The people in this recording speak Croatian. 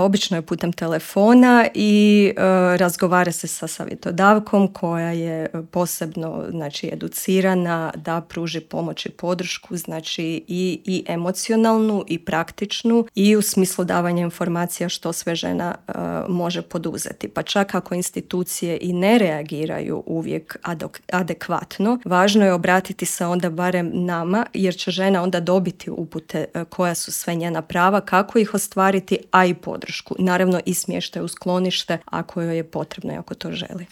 Obično je putem telefona i razgovara se sa savjetodavkom koja je posebno educirana da pruži pomoć i podršku, i emocionalnu i praktičnu i u smislu davanja informacija što sve žena može poduzeti. Pa čak ako institucije i ne reagiraju uvijek adekvatno, važno je obratiti se onda barem nama, jer će žena onda dobiti upute koja su sve njena prava, kako ih ostvariti, a i podršku. Naravno i smještaj u sklonište ako joj je potrebno i ako to želi.